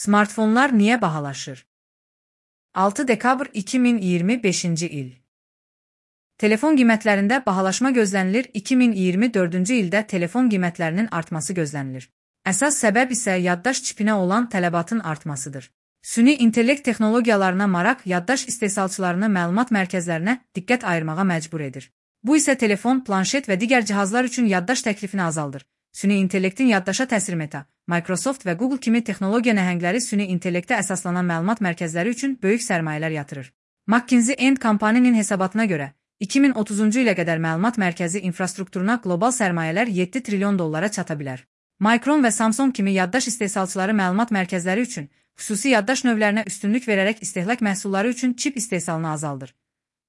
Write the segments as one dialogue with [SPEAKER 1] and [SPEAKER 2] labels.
[SPEAKER 1] Smartfonlar niyə bahalaşır? 6 dekabr 2025-ci il. Telefon qiymətlərində bahalaşma gözlənilir. 2024-cü ildə telefon qiymətlərinin artması gözlənilir. Əsas səbəb isə yaddaş çipinə olan tələbatın artmasıdır. Süni intellekt texnologiyalarına maraq yaddaş istehsalçılarını məlumat mərkəzlərinə diqqət ayırmağa məcbur edir. Bu isə telefon, planşet və digər cihazlar üçün yaddaş təklifini azaldır. Süni intellektin yaddaşa təsir Meta, Microsoft və Google kimi texnologiya nəhəngləri süni intellektə əsaslanan məlumat mərkəzləri üçün böyük sərmayələr yatırır. McKinsey & Company'nin hesabatına görə, 2030-cu ilə qədər məlumat mərkəzi infrastrukturuna qlobal sərmayələr 7 trilyon dollara çata bilər. Micron və Samsung kimi yaddaş istehsalçıları məlumat mərkəzləri üçün xüsusi yaddaş növlərinə üstünlük verərək istehlak məhsulları üçün çip istehsalını azaldır.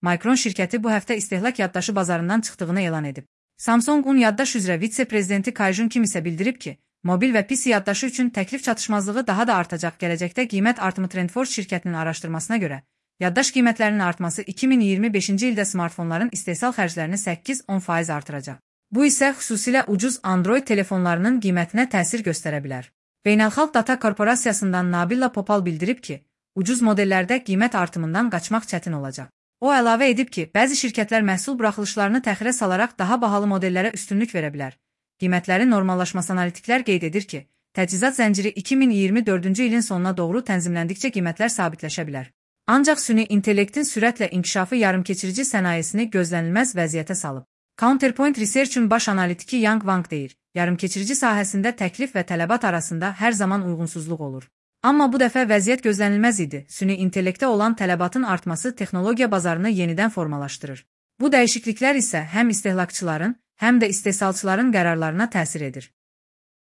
[SPEAKER 1] Micron şirkəti bu həftə istehlak yaddaşı bazarından çıxdığını elan edib. Samsung-un yaddaş üzrə vitse-prezidenti Kai-Jun Kim isə bildirib ki, mobil və PC yaddaşı üçün təklif çatışmazlığı daha da artacaq. Gələcəkdə qiymət artımı TrendForce şirkətinin araşdırmasına görə, yaddaş qiymətlərinin artması 2025-ci ildə smartfonların istehsal xərclərini 8-10% artıracaq. Bu isə xüsusilə ucuz Android telefonlarının qiymətinə təsir göstərə bilər. Beynəlxalq Data Korporasiyasından Nabila Popal bildirib ki, ucuz modellərdə qiymət artımından qaçmaq çətin olacaq. O əlavə edib ki, bəzi şirkətlər məhsul buraxılışlarını təxirə salaraq daha bahalı modellərə üstünlük verə bilər. Qiymətlərin normallaşması analitiklər qeyd edir ki, təchizat zənciri 2024-cü ilin sonuna doğru tənzimləndikcə qiymətlər sabitləşə bilər. Ancaq süni intellektin sürətlə inkişafı yarımkeçirici sənayesini gözlənilməz vəziyyətə salıb. Counterpoint Research'un baş analitiki Yang Wang deyir, yarımkeçirici sahəsində təklif və tələbat arasında hər zaman uyğunsuzluq olur. Amma bu dəfə vəziyyət gözlənilməz idi. Süni intellektə olan tələbatın artması texnologiya bazarını yenidən formalaşdırır. Bu dəyişikliklər isə həm istehlakçıların, həm də istehsalçıların qərarlarına təsir edir.